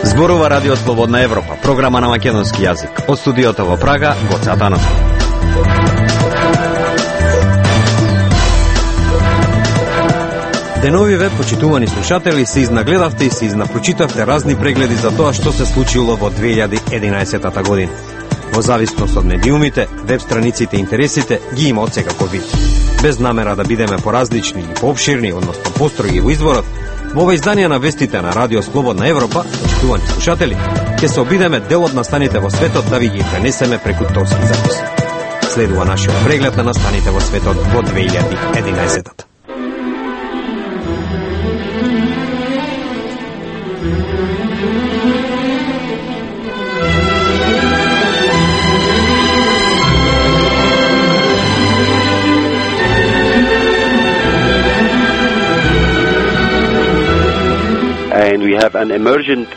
Зборува Радио Слободна Европа, програма на македонски јазик. Од студиото во Прага, Гоце Атанасов. Деновиве, почитувани слушатели, се изнагледавте и се изнапрочитавте разни прегледи за тоа што се случило во 2011 година. Во зависност од медиумите, веб страниците и интересите ги има од секако вид. Без намера да бидеме поразлични или пообширни, односно построги во изборот, во ова издание на вестите на Радио Слободна Европа, почитувани слушатели, ќе се обидеме дел од настаните во светот да ви ги пренесеме преку торски запис. Следува нашиот преглед на настаните во светот во 2011. And we have an emergent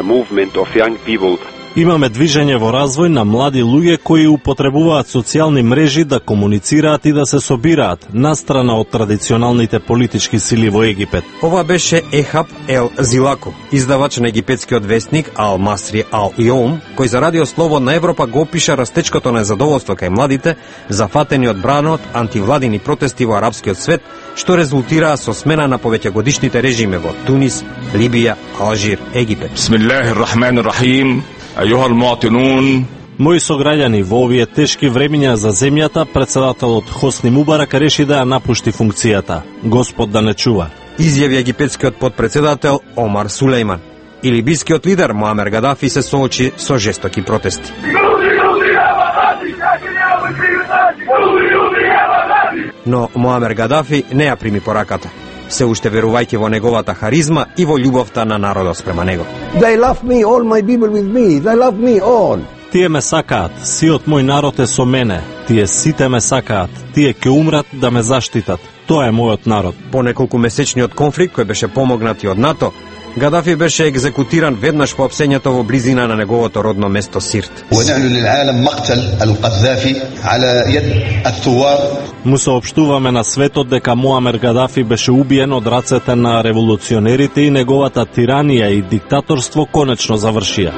movement of young people. Имаме движење во развој на млади луѓе кои употребуваат социјални мрежи да комуницираат и да се собираат, настрана од традиционалните политички сили во Египет. Ова беше Ехаб Ел Зилако, издавач на египетскиот вестник Ал Масри Ал Йоум, кој за Радио Слободна Европа го опиша растечкото незадоволство кај младите, зафатени од бранот антивладини протести во арапскиот свет, што резултираа со смена на повеќегодишните режими во Тунис, Либија, Алжир, Египет. Бисмиллахир-рахманир-рахим. Ајуха ал-муатинун. Мои сограѓани, во овие тешки времиња за земјата, председателот Хосни Мубарак реши да ја напушти функцијата. Господ да не чува. Изјави египетскиот подпредседател Омар Сулејман. И либискиот лидер Муамер Гадафи се соочи со жестоки протести. Но Муамер Гадафи не ја прими пораката, се уште верувајќи во неговата харизма и во љубовта на народот спрема него. They love me, all my people with me. They love me all. Тие ме сакаат, сиот мој народ е со мене. Тие сите ме сакаат, тие ќе умрат да ме заштитат. Тоа е мојот народ. По неколку месечниот конфликт кој беше помогнат и од НАТО, Гадафи беше екзекутиран веднаш по опсењето во близина на неговото родно место Сирт. Му соопштуваме на светот дека Муамер Гадафи беше убиен од рацете на револуционерите и неговата тиранија и диктаторство конечно завршија.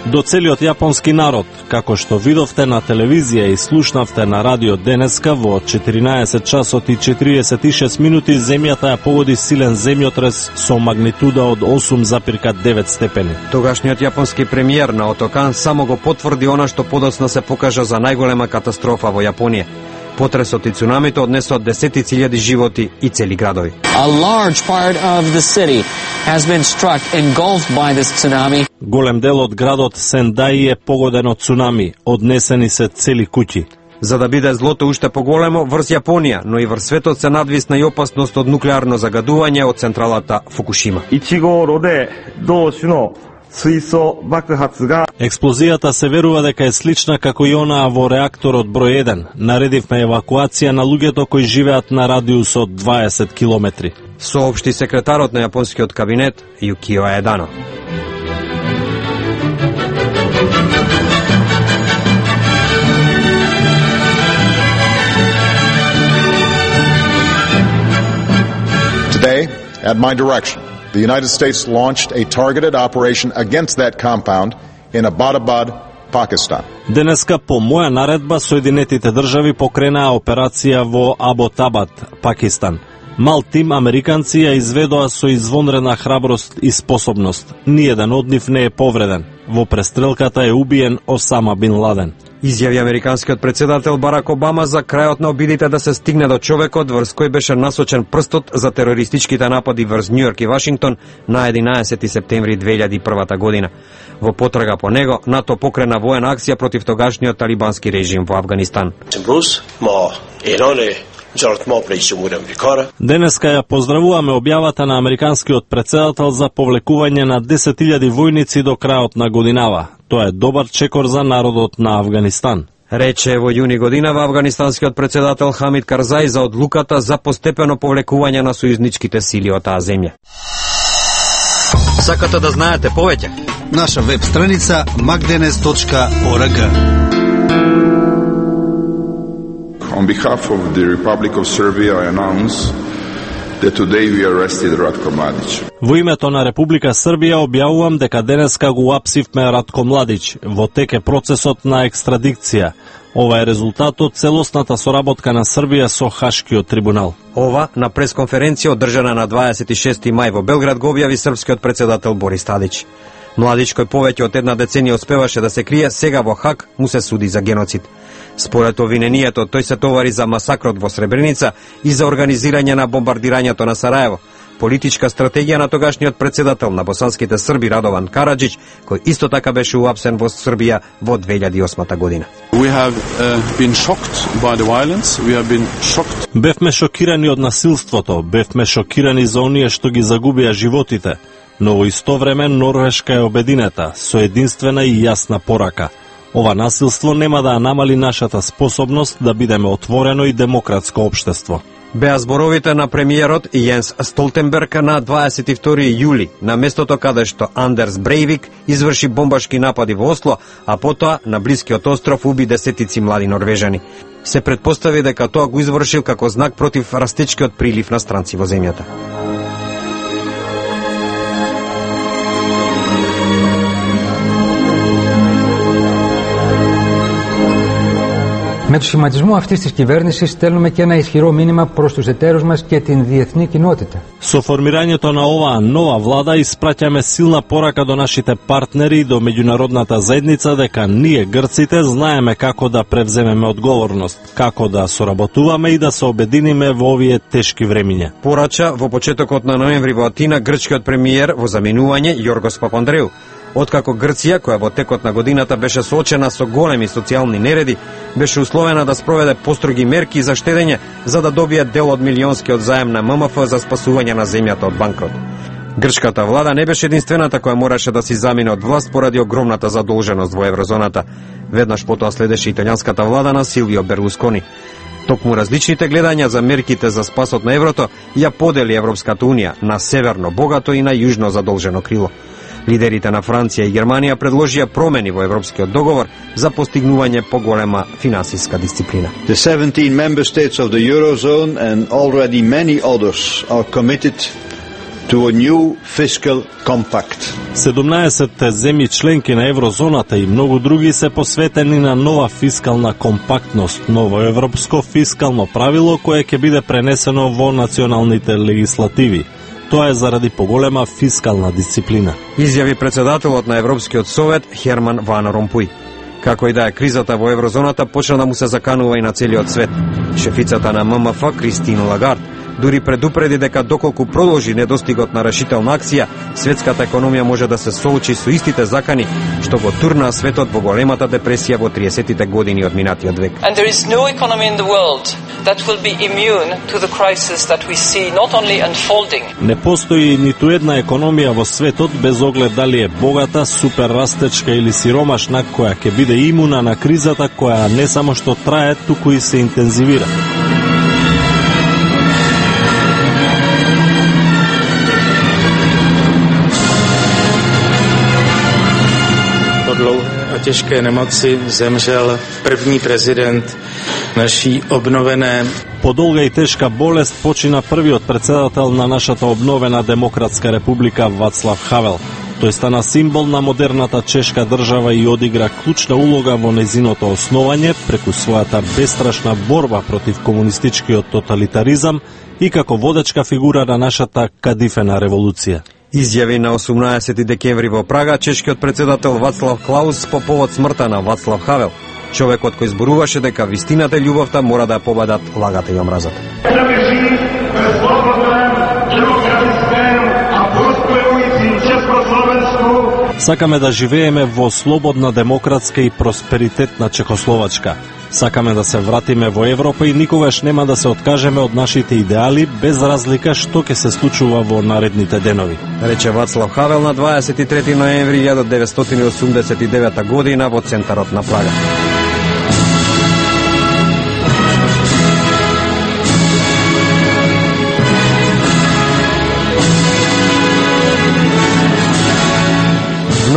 До целиот јапонски народ, како што видовте на телевизија и слушнавте на радио денеска, во 14 часот и 46 минути земјата ја погоди силен земјотрес со магнитуда од 8,9 степени. Тогашниот јапонски премиер Наото Кан само го потврди она што подоцна се покажа за најголема катастрофа во Јапонија. Потресот и цунамито однесоа десетици илјади животи и цели градови. A large part of the city has been struck, engulfed by this tsunami. Голем дел од градот Сендаи е погоден од цунами, однесени се цели куќи. За да биде злото уште поголемо, врз Јапонија, но и врз светот се надвисна и опасност од нуклеарно загадување од централата Фукушима. Експлозијата се верува дека е слична како и онаа во реакторот број 1. Наредивме евакуација на луѓето кои живеат на радиус од 20 километри. Соопшти секретарот на јапонскиот кабинет Јукио Едано. Today, at my direction, the United States launched a targeted operation against that compound in Abbottabad, Pakistan. Денеска по моја наредба Соединетите држави покренаа операција во Аботабад, Пакистан. Мал тим американци ја изведоа со извонредна храброст и способност. Ниеден од нив не е повреден. Во престрелката е убиен Осама Бин Ладен. Изјави американскиот председател Барак Обама за крајот на обидите да се стигне до човекот врз кој беше насочен прстот за терористичките напади врз Њујорк и Вашингтон на 11 септември 2001 година. Во потрага по него, НАТО покрена воена акција против тогашниот талибански режим во Авганистан. Денеска ја поздравуваме објавата на американскиот председател за повлекување на 10.000 војници до крајот на годинава. Тоа е добар чекор за народот на Авганистан. Рече во јуни година авганистанскиот председател Хамид Карзаи за одлуката за постепено повлекување на сојузничките сили од таа земја. Сакате да знаете повеќе? Наша веб страница magdenes.org. On behalf of the Republic of Serbia, I announce that today we arrested Ratko Mladić. Во името на Република Србија објавувам дека денеска го апсивме Ратко Младич. Во тек е процесот на екстрадикција. Ова е резултат од целосната соработка на Србија со Хашкиот трибунал. Ова на пресконференција одржана на 26 мај во Белград го објави српскиот председател Борис Тадич. Младич, кој повеќе од една деценија успеваше да се крие, сега во Хаг му се суди за геноцид. Според обвиненијето, тој се товари за масакрот во Сребреница и за организирање на бомбардирањето на Сараево, политичка стратегија на тогашниот председател на босанските срби Радован Караджич, кој исто така беше уапсен во Србија во 2008 година. Бевме шокирани од насилството, бевме шокирани за оние што ги загубија животите, но во исто време Норвешка е обединета, со единствена и јасна порака. Ова насилство нема да намали нашата способност да бидеме отворено и демократско општество. Беа зборовите на премиерот Јенс Столтенберг на 22 јули, на местото каде што Андерс Брейвик изврши бомбашки напади во Осло, а потоа на блискиот остров уби десетици млади норвежани. Се претпостави дека тоа го извршил како знак против растечкиот прилив на странци во земјата. Με το σχηματισμό αυτής της κυβέρνησης στέλνουμε και ένα ισχυρό μήνυμα προς τους εταίρους μας και την διεθνή κοινότητα. Со формирањето на оваа нова влада испраќаме силна порака до нашите партнери и до меѓународната заедница дека ние грците знаеме како да превземеме одговорност, како да соработуваме и да се обединиме во овие тешки времиња. Порача во почетокот на ноември во Атина грчкиот премиер во заминување Јоргос Папандреу. Откако Грција, која во текот на годината беше соочена со големи социјални нереди, беше условена да спроведе построги мерки за штедење за да добие дел од милионскиот заем на ММФ за спасување на земјата од банкрот. Грчката влада не беше единствената која мораше да си замине од власт поради огромната задолженост во еврозоната. Веднаш потоа следеше италијанската влада на Силвио Берлускони. Токму различните гледања за мерките за спасот на еврото ја подели Европската унија на северно богато и на јужно задолжено крило. Лидерите на Франција и Германија предложија промени во Европскиот договор за постигнување поголема финансиска дисциплина. The 17 member states of the Eurozone and already many others are committed to a new fiscal compact. 17 земји членки на еврозоната и многу други се посветени на нова фискална компактност, ново европско фискално правило кое ќе биде пренесено во националните легислативи. Тоа е заради поголема фискална дисциплина. Изјави председателот на Европскиот совет Херман Ван Ромпуј. Како и да е кризата во еврозоната почна да му се заканува и на целиот свет. Шефицата на ММФ Кристин Лагард дури предупреди дека доколку продолжи недостигот на решителна акција, светската економија може да се соочи со истите закани што го турнаа светот во големата депресија во 30-тите години од минатиот век. And there is no economy in the world that will be immune to the crisis that we see not only unfolding. Не постои ниту една економија во светот без оглед дали е богата, суперрастечка или сиромашна која ќе биде имуна на кризата која не само што трае, туку и се интензивира. Těžké nemoci zemřel první prezident naší obnovené. По долга и тешка болест почина првиот председател на нашата обновена Демократска република Вацлав Хавел. Тој стана символ на модерната чешка држава и одигра клучна улога во незиното основање преку својата бестрашна борба против комунистичкиот тоталитаризам и како водечка фигура на нашата кадифена револуција. Изјави на 18 декември во Прага чешкиот председател Вацлав Клаус по повод смртта на Вацлав Хавел, човекот кој зборуваше дека вистината и љубовта мора да победат лагата и омразата. Сакаме да живееме во слободна, демократска и просперитетна Чехословачка. Сакаме да се вратиме во Европа и никогаш нема да се откажеме од нашите идеали, без разлика што ќе се случува во наредните денови. Рече Вацлав Хавел на 23 ноември 1989 година во центарот на Прага.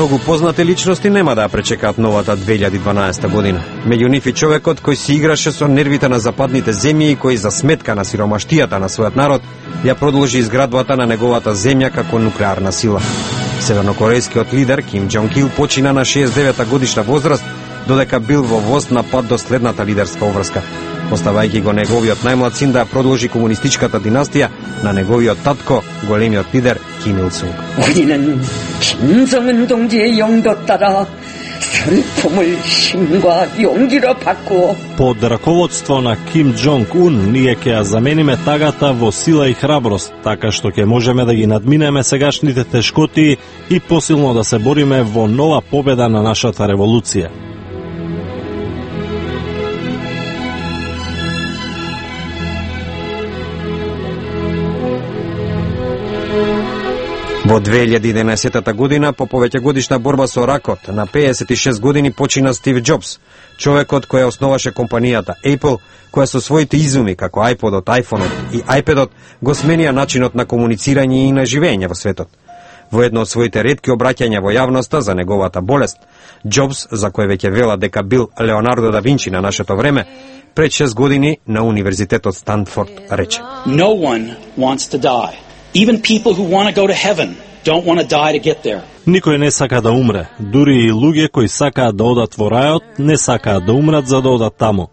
Многу познати личности нема да ја пречекаат новата 2012 година. Меѓу нив и човекот кој си играше со нервите на западните земји и кој за сметка на сиромаштијата на својот народ ја продолжи изградбата на неговата земја како нуклеарна сила. Севернокорејскиот лидер Ким Џонг Ил почина на 69 годишна возраст, додека бил во воз на пат до следната лидерска обврска, оставајќи го неговиот најмлад син да продолжи комунистичката династија на неговиот татко, големиот лидер Ким Ил Сунг. 우리는 김정은 동지의 영도 따라 슬픔을 힘과 용기로 바꾸어 Под раководство на Ким Џонг Ун ние ќе ја замениме тагата во сила и храброст, така што ќе можеме да ги надминеме сегашните тешкоти и посилно да се бориме во нова победа на нашата револуција. Во 2011 година, по повеќегодишна борба со ракот, на 56 години почина Стив Џобс, човекот кој основаше компанијата Apple, која со своите изуми како iPod-от, iPhone-от и iPad-от го сменија начинот на комуницирање и на живење во светот. Во едно од своите ретки обраќања во јавноста за неговата болест, Џобс, за кој веќе вела дека бил Леонардо да Винчи на нашето време, пред 6 години на Универзитетот Станфорд рече: No one wants to die. Even people who want to go to heaven don't want to die to get there. Никој не сака да умре, дури и луѓе кои сакаат да одат во рајот, не сакаат да умрат за да одат таму.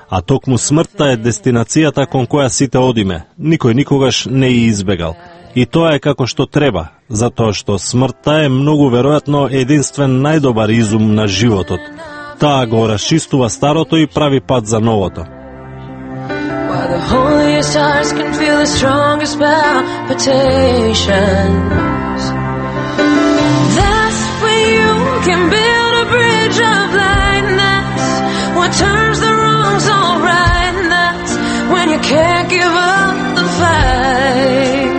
А токму смртта е дестинацијата кон која сите одиме. Никој никогаш не ја избегал. И тоа е како што треба, затоа што смртта е многу веројатно единствен најдобар изум на животот. Таа го расчистува старото и прави пат за новото. While the holiest hearts can feel the strongest palpitations, that's when you can build a bridge of light, and that's what turns the wrongs all right, and that's when you can't give up the fight.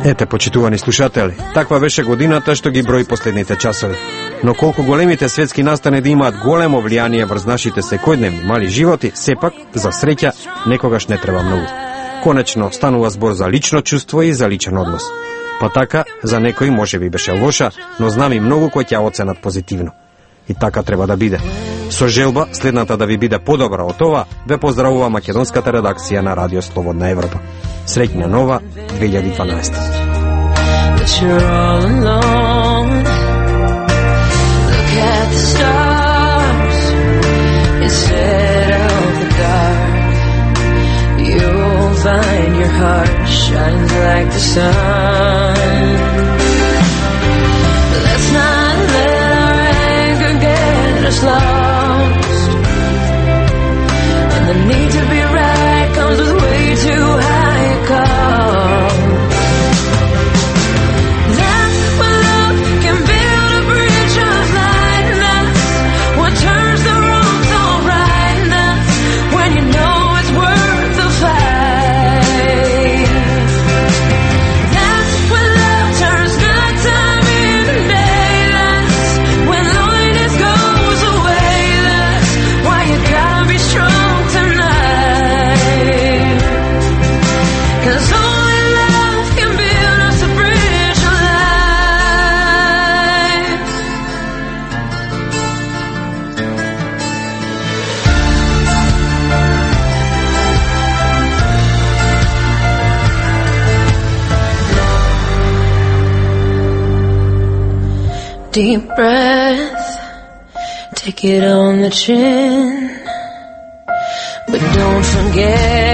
Ете, почитувани слушатели, таква беше годината што ги брои последните часови. Но колку големите светски настани да имаат големо влијание врз нашите секојдневни мали животи, сепак, за среќа, некогаш не треба многу. Конечно, станува збор за лично чувство и за личен однос. Па така, за некој може би беше лоша, но знам и многу кои ќе оценат позитивно. И така треба да биде. Со желба, следната да ви биде подобра од ова, ве поздравува македонската редакција на Радио Слободна Европа. Среќна нова 2012. At the stars instead of the dark, you'll find your heart shines like the sun. Let's not let our anger get us lost, and the need to be right comes with way too high a cost. That's when love can build a bridge of light, what turns the wrongs all right, and that's when you know it's worth the fight. That's when love turns nighttime into day. That's when loneliness goes away. That's why you gotta be strong tonight, 'cause only love can build us a bridge of light. Deep breath, take it on the chin, but don't forget